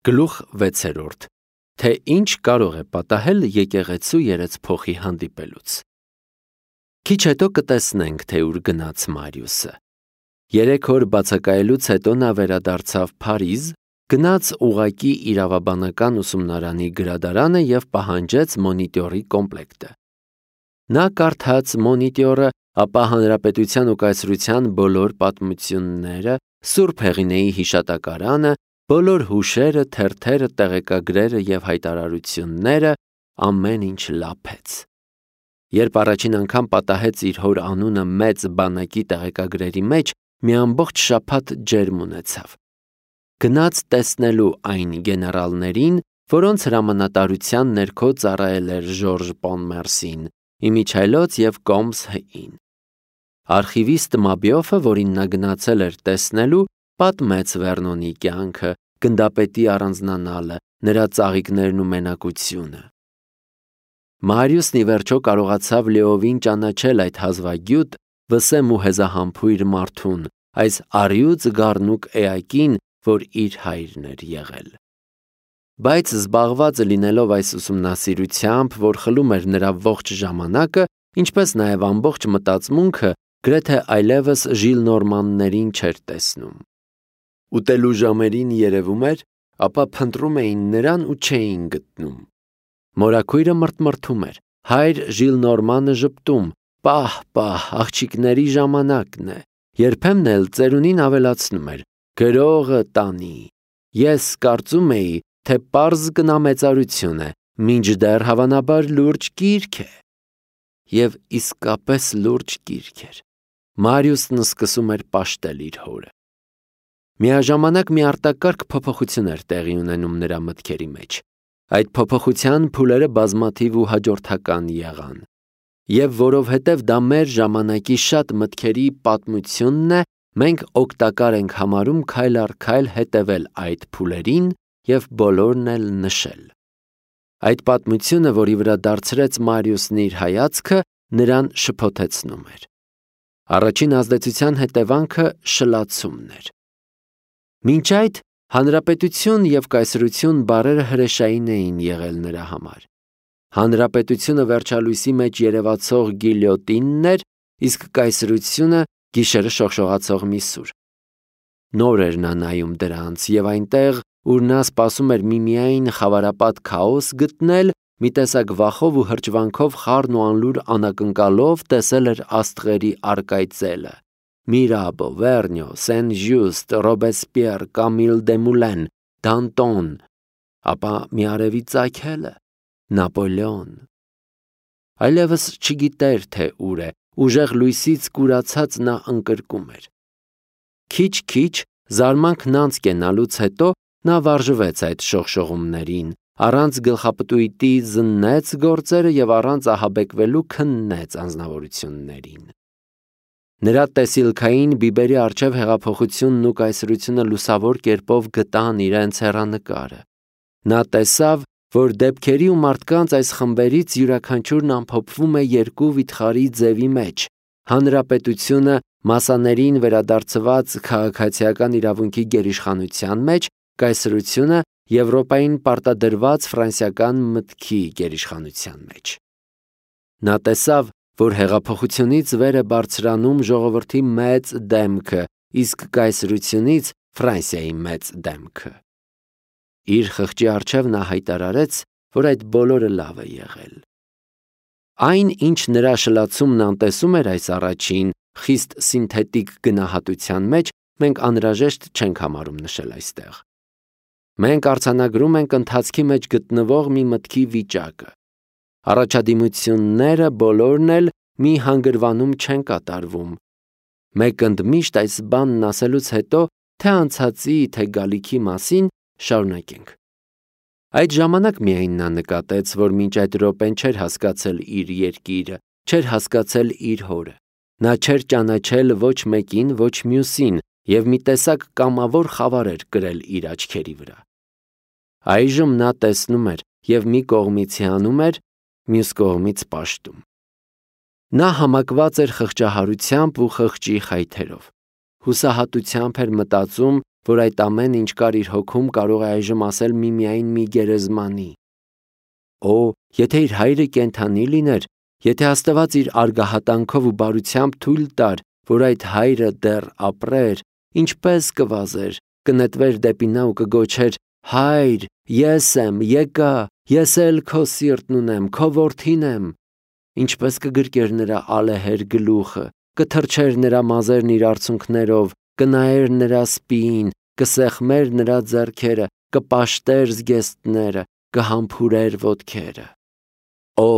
Գլուխ 6. Թե ինչ կարող է պատահել եկեղեցու երեցփոխի հանդիպելուց։ Քիչ հետո կտեսնենք, թե ուր գնաց Մարիուսը։ 3 օր բացակայելուց հետո նա վերադարձավ Փարիզ, գնաց ուղղակի իրավաբանական ուսումնարանի գրադարանը և պահանջեց մոնիտորի կոմպլեկտը։ Նա կարդաց մոնիտորը, ապա Հանրապետության ու կայսրության բոլոր պատմությունները, Սուրբ Հեղինեի հիշատակարանը, բոլոր հուշերը, թերթերը, տեղեկագրերը և հայտարարությունները, ամեն ինչ լափեց։ Երբ առաջին անգամ պատահեց իր հոր անունը մեծ բանակի տեղեկագրերի մեջ, մի ամբողջ շաբաթ ջերմ ունեցավ։ Գնաց տեսնելու այն գեներալներին, որոնց հրամանատարության ներքո ծառայել էր Ժորժ Պոնմերսին, իմիջիայլոց և Կոմս Հ-ին։ Արխիվիստ Մաբիոֆը, որին նա գնացել էր տեսնելու, պատմեց Վերնոնի կյանքը, գնդապետի առանձնանալը, նրա ծաղիկներն ու մենակությունը։ Մարիուսն ի վերջո կարողացավ լիովին ճանաչել այդ հազվագյուտ, վսեմ ու հեզահամբույր մարդուն, այս առյուծ գառնուկ էակին, որ իր հայրն էր եղել։ Բայց զբաղված լինելով այս ուսումնասիրությամբ, որ խլում էր նրա ողջ ժամանակը, ինչպես նաև ամբողջ մտածմունքը, գրեթե այլևս Ժիլնորմաններին չէր տեսնում։ Ուտելու ժամերին երևում էր, ապա փնտրում էին նրան ու չէին գտնում։ Մորաքույրը մրթմրթում էր, հայր Ժիլնորմանը ժպտում, պահ, աղջիկների ժամանակն է, երբեմն էլ ծերունին ավելացնում էր, գրողը տանի։ Ես կարծում էի, թե պարզ կնամեծարություն է, մինչդեռ հավանաբար լուրջ գիրք է։ Եվ իսկապես լուրջ գիրք էր։ Մարիուսն սկսում էր պաշտել իր հորը։ Միաժամանակ մի արտակարգ փոփոխություն էր տեղի ունենում նրա մտքերի մեջ։ Այդ փոփոխության փուլերը բազմաթիվ ու հաջորդական եղան։ Եվ որովհետև դա մեր ժամանակի շատ մտքերի պատմությունն է, մենք օգտակար ենք համարում քայլ առ քայլ հետևել այդ փուլերին և բոլորն էլ նշել։ Այդ պատմությունը, որի վրա դարձրեց Մարիուսն իր հայացքը, նրան շփոթեցնում էր։ Առաջին ազդեցության հետևանքը շլացումն էր։ Մինչ այդ հանրապետություն և կայսրություն բառերը հրեշային էին եղել նրա համար։ Հանրապետությունը վերջալույսի մեջ երևացող գիլյոտինն էր, իսկ կայսրությունը գիշերը շողշողացող մի սուր։ Նոր էր նա նայում դրանց և այնտեղ, ուր նա սպասում էր միմիայն խավարապատ քաոս գտնել, մի տեսակ վախով ու հրճվանքով խառն ու անլուր անակնկալով տեսել էր աստղերի առկայծելը՝ Միրաբո, Վերնյո, Սեն-Ժյուստ, Ռոբեսպիեր, Կամիլ Դեմուլեն, Դանտոն, ապա մի արևի ծագելը՝ Նապոլեոն։ Այլևս չգիտեր, թե ուր է, ուժեղ լույսից կուրացած նա ընկրկում էր։ Քիչ-քիչ, զարմանքն անց կենալուց հետո նա վարժվեց այդ շողշողումներին, առանց գլխապտույտի զննեց գործերը և առանց ահաբեկվելու քննեց անձնավորություններին։ Նրա տեսիլքային բիբերի առջև հեղափոխությունն ու կայսրությունը լուսավոր կերպով գտան իրենց հեռանկարը։ Նա տեսավ, որ դեպքերի ու մարդկանց այս խմբերից յուրաքանչյուրն ամփոփվում է երկու վիթխարի ձևի մեջ՝ հանրապետությունը մասաներին վերադարձված քաղաքացիական իրավունքի գերիշխանության մեջ, կայսրությունը Եվրոպային պարտադրված ֆրանսիական մտքի գերիշխանության մեջ։ Նա տեսավ, որ հեղափոխությունից վեր է բարձրանում ժողովրդի մեծ դեմքը, իսկ կայսրությունից Ֆրանսիայի մեծ դեմքը։ Իր խղճի առջև նա հայտարարեց, որ այդ բոլորը լավ է եղել։ Այն, ինչ նրա շլացումն անտեսում էր այս առաջին, խիստ սինթետիկ գնահատության մեջ, մենք անհրաժեշտ չենք համարում նշել այստեղ։ Մենք արձանագրում ենք ընթացքի մեջ գտնվող մի մտքի վիճակը։ Առաջադիմությունները բոլորն էլ մի հանգրվանում չեն կատարվում։ Մենք ընդմիշտ այս բանն ասելուց հետո, թե անցածի, թե գալիքի մասին, շարունակենք։ Այդ ժամանակ միայն նա նկատեց, որ մինչ այդ րոպեն չէր հասկացել իր երկիրը, չէր հասկացել իր հորը։ Նա չէր ճանաչել ոչ մեկին, ոչ մյուսին և մի տեսակ կամավոր խավար էր կրել իր աչքերի վրա։ Այժմ նա տեսնում էր և մի կողմից հիանում էր, մյուս կողմից պաշտում։ Նա համակված էր խղճահարությամբ ու խղճի խայթերով։ Հուսահատությամբ էր մտածում, որ այդ ամեն ինչ կար իր հոգում, կարող է այժմ ասել միմիայն մի գերեզմանի։ Օ, եթե իր հայրը կենդանի լիներ, եթե Աստված իր արգահատանքով ու բարությամբ թույլ տար, որ այդ հայրը դեռ ապրեր, ինչպես կվազեր, կնետվեր դեպի նա ու կգոչեր. «Հայր, ես եմ, եկա, ես էլ քո սիրտն ունեմ, քո որդին եմ»։ Ինչպես կգրկեր նրա ալեհեր գլուխը, կթրջեր նրա մազերն իր արցունքներով, կնայեր նրա սպիին, կսեղմեր նրա ձեռքերը, կպաշտեր զգեստները, կհամբուրեր ոտքերը։ Օ,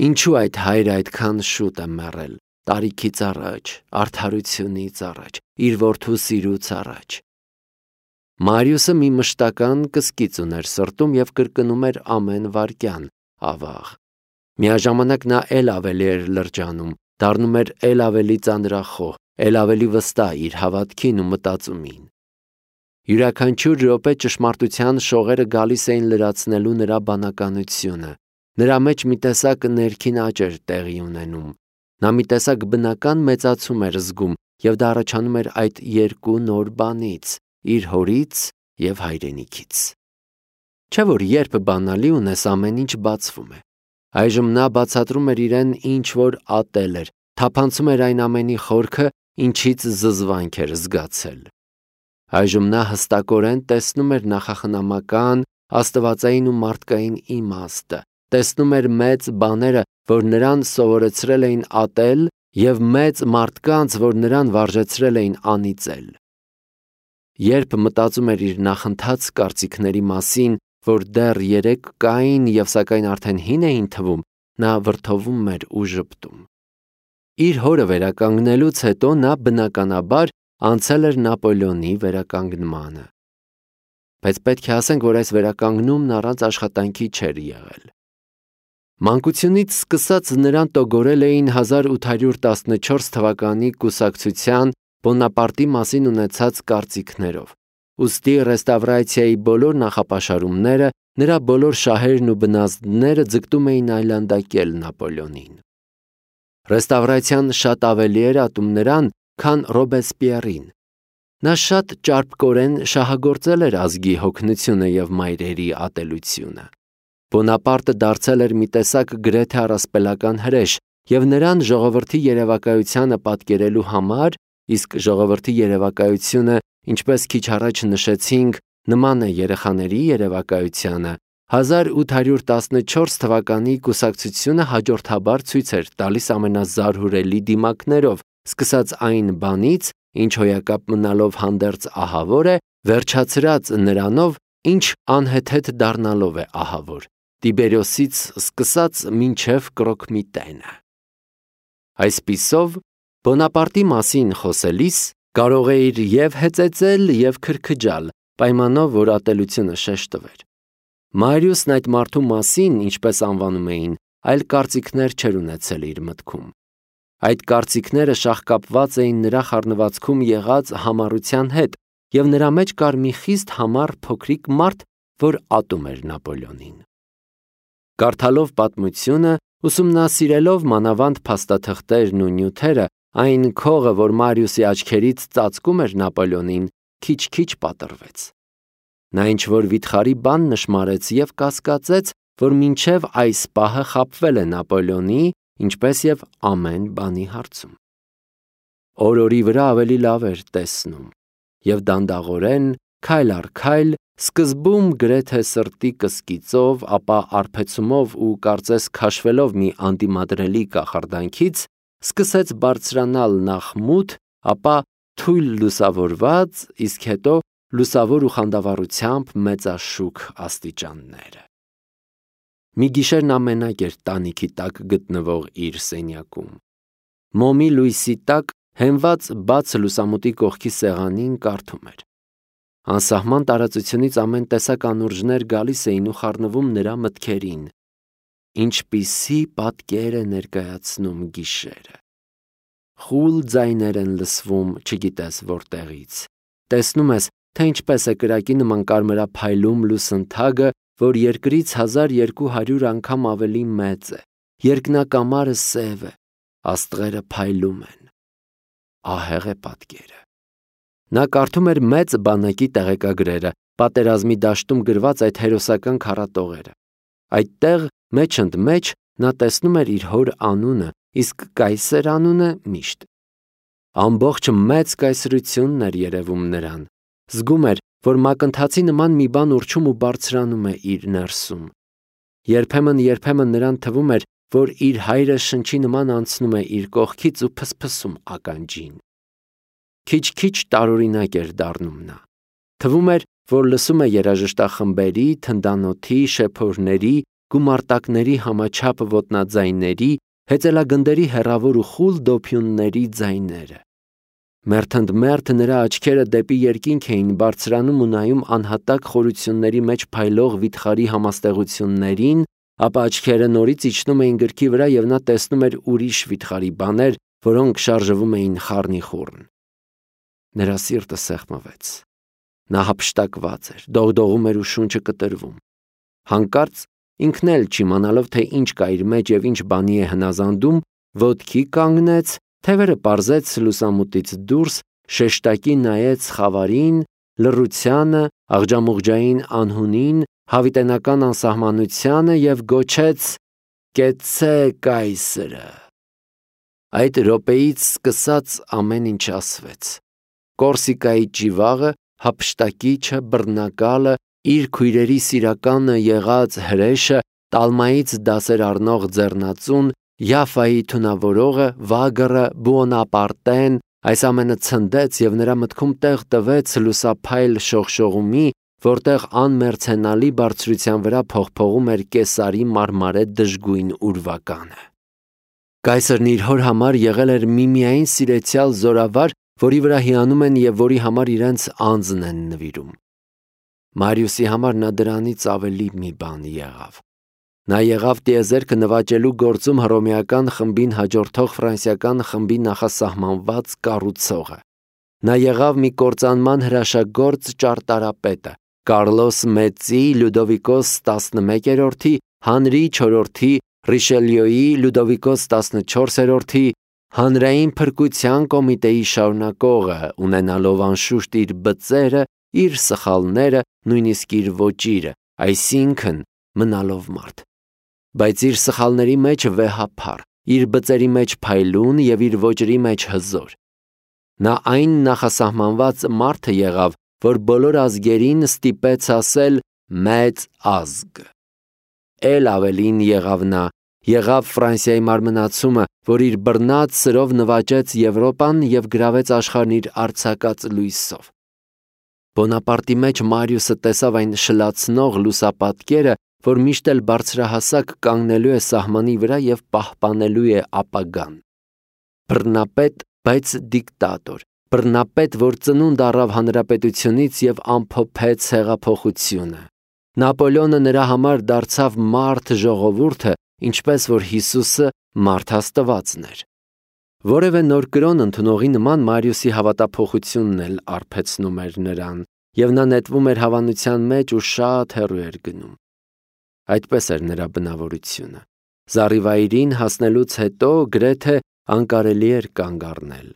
ինչու այդ հայրը այդքան շուտ է մեռել, տարիքից առաջ, արդարությունից առաջ, իր որդու սիրուց առաջ։ Մարիուսը մի մշտական կսկիծ ուներ սրտում և կրկնում էր ամեն վայրկյան. ավաղ։ Միաժամանակ նա էլ ավելի էր լրջանում, դառնում էր էլ ավելի ծանրախոհ, էլ ավելի վստահ իր հավատքին ու մտածումին։ Յուրաքանչյուր րոպե ճշմարտության շողերը գալիս էին լրացնելու նրա բանականությունը։ Նրա մեջ մի տեսակ ներքին աճ էր տեղի ունենում։ Նա մի տեսակ բնական մեծացում էր զգում, և դա առաջանում էր այդ երկու նոր բանից՝ իր հորից և հայրենիքից։ Չէ՞ որ երբ բանալի ունես, ամեն ինչ բացվում է։ Այժմ նա բացատրում էր իրեն ինչ որ ատել էր, թափանցում էր այն ամենի խորքը, ինչից զզվանք էր զգացել։ Այժմ նա հստակորեն տեսնում էր նախախնամական, աստվածային ու մարդկային իմաստը, տեսնում էր մեծ բաները, որ նրան սովորեցրել էին ատել, և մեծ մարդկանց, որ նրան վարժեցրել էին անիծել։ Երբ մտածում էր իր նախընթաց կարծիքների մասին, որ դեռ երեք կային և սակայն արդեն հին էին թվում, նա վրդովում էր ու ժպտում։ Իր հորը վերականգնելուց հետո նա բնականաբար անցել էր Նապոլեոնի վերականգնմանը։ Բայց պետք է ասենք, որ այս վերականգնումն առանց աշխատանքի չէր եղել։ Մանկությունից սկսած նրան տոգորել էին 1814 թվականի կուսակցության Բոնապարտի մասին ունեցած կարծիքներով։ Ուստի ռեստավրացիայի բոլոր նախապաշարումները, նրա բոլոր շահերն ու բնազդները ձգտում էին այլանդակել Նապոլեոնին։ Ռեստավրացիան շատ ավելի էր ատում նրան, քան Ռոբեսպիերին։ Նա շատ ճարպկորեն շահագործել էր ազգի հոգնությունը և մայրերի ատելությունը։ Բոնապարտը դարձել էր մի տեսակ գրեթե առասպելական հրեշ, և նրան ժողովրդի երևակայությանը պատկերելու համար, իսկ ժողովրդի երևակայությունը, ինչպես քիչ առաջ նշեցինք, նման է երեխաների երևակայությանը, 1814 թվականի կուսակցությունը հաջորդաբար ցույց էր տալիս ամենազարհուրելի դիմակներով, սկսած այն բանից, ինչ հոյակապ մնալով հանդերձ ահավոր է, վերջացրած նրանով, ինչ անհեթեթ դառնալով է ահավոր, Տիբերիոսից սկսած մինչև Կրոկմիտենը։ Այսպիսով, Բոնապարտի մասին խոսելիս կարող էիր և հեծեծել, և քրքջալ, պայմանով, որ ատելությունը շեշտվեր։ Մարիուսն այդ մարդու մասին, ինչպես անվանում էին, այլ կարծիքներ չէր ունեցել իր մտքում։ Այդ կարծիքները շաղկապված էին նրա խառնվածքում եղած համառության հետ, և նրա մեջ կար մի խիստ համառ փոքրիկ մարդ, որ ատում էր Նապոլեոնին։ Կարդալով պատմությունը, ուսումնասիրելով մանավանդ փաստաթղթերն ու նյութերը, այն քողը, որ Մարիուսի աչքերից ծածկում էր Նապոլեոնին, քիչ-քիչ պատռվեց։ Նա ինչ-որ վիթխարի բան նշմարեց և կասկածեց, որ մինչև այս պահը խաբվել է Նապոլեոնի, ինչպես և ամեն բանի հարցում։ Օր-օրի վրա ավելի լավ էր տեսնում, և դանդաղորեն, քայլ առ քայլ, սկզբում գրեթե սրտի կսկիծով, ապա արբեցումով ու կարծես քաշվելով մի անդիմադրելի կախարդանքից, սկսեց բարձրանալ նախ մութ, ապա թույլ լուսավորված, իսկ հետո լուսավոր ու խանդավառությամբ մեծաշուք աստիճանները։ Մի գիշեր նա մենակ էր տանիքի տակ գտնվող իր սենյակում։ Մոմի լույսի տակ, հենված բաց լուսամուտի կողքի սեղանին, կարդում էր։ Անսահման տարածությունից ամեն տեսակ անուրջներ գալիս էին ու խառնվում նրա մտքերին։ Ինչպիսի պատկեր է ներկայացնում գիշերը։ Խուլ ձայներ են լսվում, չգիտես որտեղից։ Տեսնում ես, թե ինչպես է կրակի նման կարմրափայլում լուսնթագը, որ երկրից 1200 անգամ ավելի մեծ է։ Երկնակամարը սև է, աստղերը փայլում են։ Ահեղ է պատկերը։ Նա կարդում էր մեծ բանակի տեղեկագրերը, պատերազմի դաշտում գրված այդ հերոսական քառատողերը։ Այդտեղ մեջ ընդ մեջ նա տեսնում էր իր հոր անունը, իսկ կայսեր անունը միշտ։ Ամբողջ մեծ կայսրությունն էր երևում նրան։ Զգում էր, որ մակընթացի նման մի բան ուռչում ու բարձրանում է իր ներսում։ Երբեմն նրան թվում էր, որ իր հայրը շնչի նման անցնում է իր կողքից ու փսփսում ականջին։ Քիչ-քիչ տարօրինակ էր դառնում նա։ Թվում էր, որ լսում է երաժշտախմբերի, թնդանոթի, շեփորների, գումարտակների համաչափ ոտնաձայների, հեծելագնդերի հեռավոր ու խուլ դոփյունների ձայները։ Մերթընդմերթ նրա աչքերը դեպի երկինք էին բարձրանում ու նայում անհատակ խորությունների մեջ փայլող վիթխարի համաստեղություններին, ապա աչքերը նորից իջնում էին գրքի վրա և նա տեսնում էր ուրիշ վիթխարի բաներ, որոնք շարժվում էին խառնիխուռն։ Նրա սիրտը սեղմվեց։ Նա հափշտակված էր, դողդողում էր ու շունչը կտրվում։ Հանկարծ ինքն էլ չիմանալով, թե ինչ կա իր մեջ և ինչ բանի է հնազանդում, ոտքի կանգնեց, թևերը պարզեց լուսամուտից դուրս, շեշտակի նայեց խավարին, լռությանը, աղջամուղջային անհունին, հավիտենական անսահմանությանը և գոչեց. «Կեցցե կայսրը»։ Այդ րոպեից սկսած ամեն ինչ ասվեց։ Կորսիկայի ճիվաղը, հափշտակիչը, բռնակալը, իր քույրերի սիրականը եղած հրեշը, Տալմայից դասեր առնող ձեռնածուն, Յաֆայի թունավորողը, Վագրը, Բուոնապարտեն, այս ամենը ցնդեց և նրա մտքում տեղ տվեց լուսափայլ շողշողումի, որտեղ անմեռցենալի բարձրության վրա փողփողում էր Կեսարի մարմարե դժգույն ուրվականը։ Կայսրն իր հոր համար եղել էր միմիայն սիրեցյալ զորավար, որի վրա հիանում են և որի համար իրենց անձն են նվիրում։ Մարիուսի համար նա դրանից ավելի մի բան եղավ։ Նա եղավ տիեզերքը նվաճելու գործում հռոմեական խմբին հաջորդող ֆրանսիական խմբի նախասահմանված կառուցողը։ Նա եղավ մի կործանման հրաշագործ ճարտարապետը, Կարլոս Մեծի, Լյուդովիկոս 11-րդի, Հանրի IV, Ռիշելյոյի, Լյուդովիկոս 14-րդի, հանրային փրկության կոմիտեի շարունակողը, ունենալով անշուշտ իր բծերը, իր սխալները, նույնիսկ իր ոճիրը, այսինքն մնալով մարդ։ Բայց իր սխալների մեջ վեհափառ, իր բծերի մեջ փայլուն և իր ոճրի մեջ հզոր։ Նա այն նախասահմանված մարդը եղավ, որ բոլոր ազգերին ստիպեց ասել «մեծ ազգ»։ Էլ ավելին եղավ նա, եղավ Ֆրանսիայի մարմնացումը, որ իր բռնած սրով նվաճեց Եվրոպան և գրավեց աշխարհն իր արձակած լույսով։ Բոնապարտի մեջ Մարիուսը տեսավ այն շլացնող լուսապատկերը, որ միշտ էլ բարձրահասակ կանգնելու է սահմանի վրա և պահպանելու է ապագան։ Բռնապետ, բայց դիկտատոր, բռնապետ, որ ծնունդ առավ հանրապետությունից և ամփոփեց հեղափոխությունը։ Նապոլեոնը նրա համար դարձավ մարդ ժողովուրդը, ինչպես որ Հիսուսը մարդ Աստվածն էր։ Որևէ նոր կրոն ընդունողի նման Մարիուսի հավատափոխությունն էլ արբեցնում էր նրան, և նա նետվում էր հավանության մեջ ու շատ հեռու էր գնում։ Այդպես էր նրա բնավորությունը։ Զառիվայրին հասնելուց հետո գրեթե անկարելի էր կանգ առնել։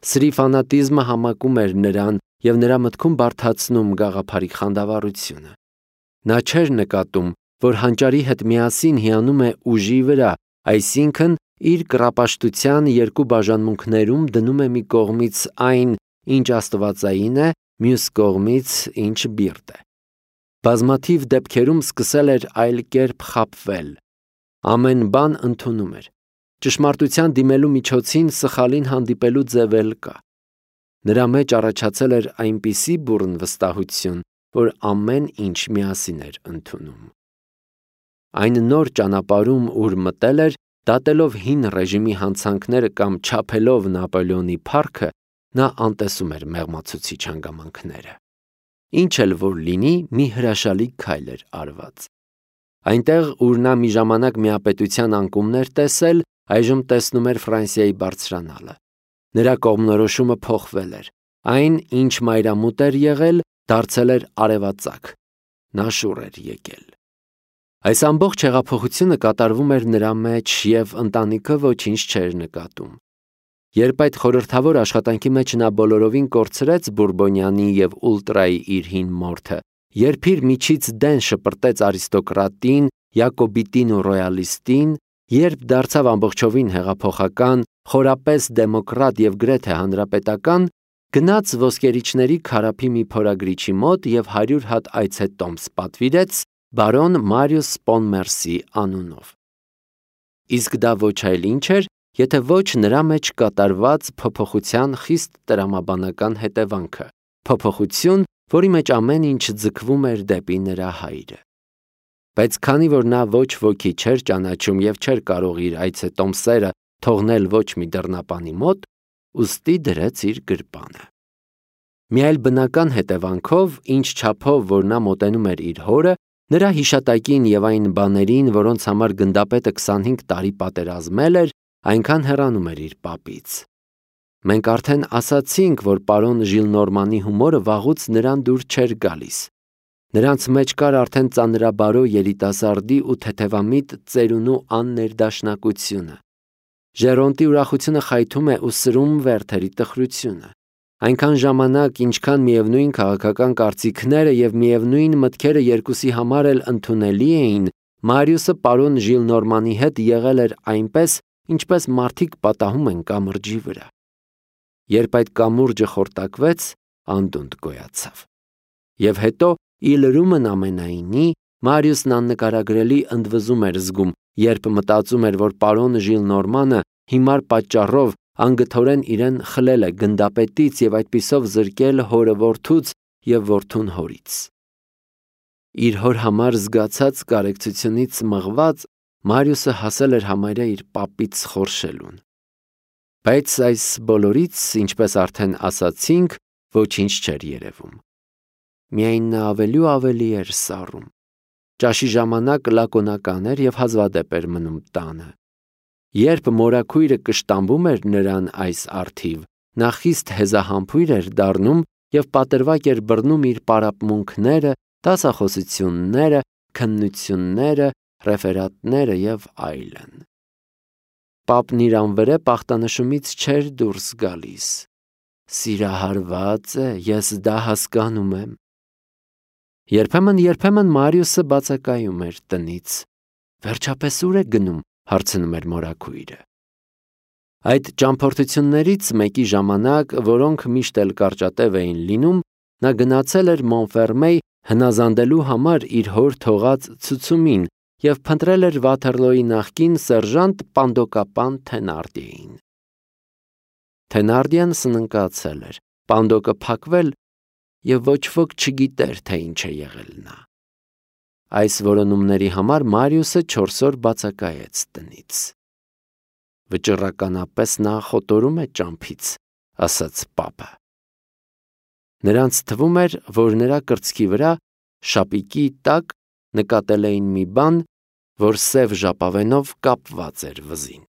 Սրի ֆանատիզմը համակում էր նրան և նրա մտքում բարդացնում գաղափարի խանդավառությունը։ Նա չէր նկատում, որ հանճարի հետ միասին հիանում է ուժի վրա, այսինքն իր կռապաշտության երկու բաժանմունքներում դնում է մի կողմից այն, ինչ աստվածային է, մյուս կողմից ինչ բիրտ է։ Բազմաթիվ դեպքերում սկսել էր այլ կերպ խաբվել։ Ամեն բան ընդունում էր։ Ճշմարտության դիմելու միջոցին սխալին հանդիպելու ձև էլ կա։ Նրա մեջ առաջացել էր այնպիսի բուռն վստահություն, որ ամեն ինչ միասին էր ընդունում։ Այն նոր ճանապարհում, ուր մտել էր, դատելով հին ռեժիմի հանցանքները կամ չափելով Նապոլեոնի փառքը, նա անտեսում էր մեղմացուցիչ հանգամանքները։ Ինչ էլ որ լինի, մի հրաշալի քայլ էր արված։ Այնտեղ, ուր նա մի ժամանակ միապետության անկումներ տեսել, այժմ տեսնում էր Ֆրանսիայի բարձրանալը։ Նրա կողմնորոշումը փոխվել էր։ Այն, ինչ մայրամուտ էր եղել, դարձել էր արևածագ։ Նա շուռ էր եկել։ Այս ամբողջ հեղափոխությունը կատարվում էր նրա մեջ, և ընտանիքը ոչինչ չէր նկատում։ Երբ այդ խորհրդավոր աշխատանքի մեջ նա բոլորովին կորցրեց Բուրբոնյանի և Ուլտրայի իր հին մորթը, երբ իր միջից դեն շպրտեց արիստոկրատին, յակոբիտին ու ռոյալիստին, երբ դարձավ ամբողջովին հեղափոխական, խորապես դեմոկրատ և գրեթե հանրապետական, գնաց ոսկերիչների քարափի մի փորագրիչի մոտ և 100 հատ այցետոմս պատվիրեց բարոն Մարիուս Պոնմերսի անունով։ Իսկ դա ոչ այլ ինչ էր, եթե ոչ նրա մեջ կատարված փոփոխության խիստ տրամաբանական հետևանքը, փոփոխություն, որի մեջ ամեն ինչ ձգվում էր դեպի նրա հայրը։ Բայց քանի որ նա ոչ ոքի չէր ճանաչում և չէր կարող իր այցետոմսերը թողնել ոչ մի դռնապանի մոտ, ուստի դրեց իր գրպանը։ Մի այլ բնական հետևանքով, ինչ չափով որ նա մոտենում էր իր հորը, նրա հիշատակին և այն բաներին, որոնց համար գնդապետը 25 տարի պատերազմել էր, այնքան հեռանում էր իր պապից։ Մենք արդեն ասացինք, որ պարոն Ժիլնորմանի հումորը վաղուց նրան դուր չէր գալիս։ Նրանց մեջ կար արդեն ծանրաբարո երիտասարդի ու թեթևամիտ ծերունու աններդաշնակությունը։ Ժերոնտի ուրախությունը խայթում է ու սրում Վերթերի տխրությունը։ Այնքան ժամանակ, ինչքան միևնույն քաղաքական կարծիքները և միևնույն մտքերը երկուսի համար էլ ընդունելի էին, Մարիուսը պարոն Ժիլնորմանի հետ եղել էր այնպես, ինչպես մարդիկ պատահում են կամրջի վրա։ Երբ այդ կամուրջը խորտակվեց, անդունդ գոյացավ։ Եվ հետո, ի լրումն ամենայնի, Մարիուսն աննկարագրելի ընդվզում էր զգում, երբ մտածում էր, որ պարոն Ժիլնորմանը հիմար պատճառով անգթորեն իրեն խլել է գնդապետից և այդպիսով զրկել հորը որդուց և որդուն հորից։ Իր հոր համար զգացած կարեկցությունից մղված, Մարիուսը հասել էր համարյա իր պապից խորշելուն։ Բայց այս բոլորից, ինչպես արդեն ասացինք, ոչինչ չէր երևում։ Միայն նա ավելի ու ավելի էր սառում։ Ճաշի ժամանակ լակոնական էր և հազվադեպ էր մնում տանը։ Երբ մորաքույրը կշտամբում էր նրան այս առթիվ, նա խիստ հեզահամբույր էր դառնում և պատրվակ էր բռնում իր պարապմունքները, դասախոսությունները, քննությունները, ռեֆերատները և այլն։ Պապն իր անվրեպ ախտանշումից չէր դուրս գալիս։ Սիրահարված է, ես դա հասկանում եմ։ Երբեմն Մարիուսը բացակայում էր տնից։ Վերջապես ուր է գնում, հարցնում էր մորաքույրը։ Այդ ճամփորդություններից մեկի ժամանակ, որոնք միշտ էլ կարճատև էին լինում, նա գնացել էր Մոնֆերմեյ հնազանդելու համար իր հոր թողած ցուցումին և փնտրել էր Վաթերլոյի նախկին սերժանտ Պանդոկապան Թենարդիեին։ Թենարդիեն սննկացել էր, պանդոկը փակվել և ոչ ոք չգիտեր, թե ինչ է եղել նա։ Այս որոնումների համար Մարիուսը 4 օր բացակայեց տնից։ Վճռականապես նա խոտորում է ճամփից, ասաց պապը։ Նրանց թվում էր, որ նրա կրծքի վրա, շապիկի տակ, նկատել էին մի բան, որ սև ժապավենով կապված էր վզին։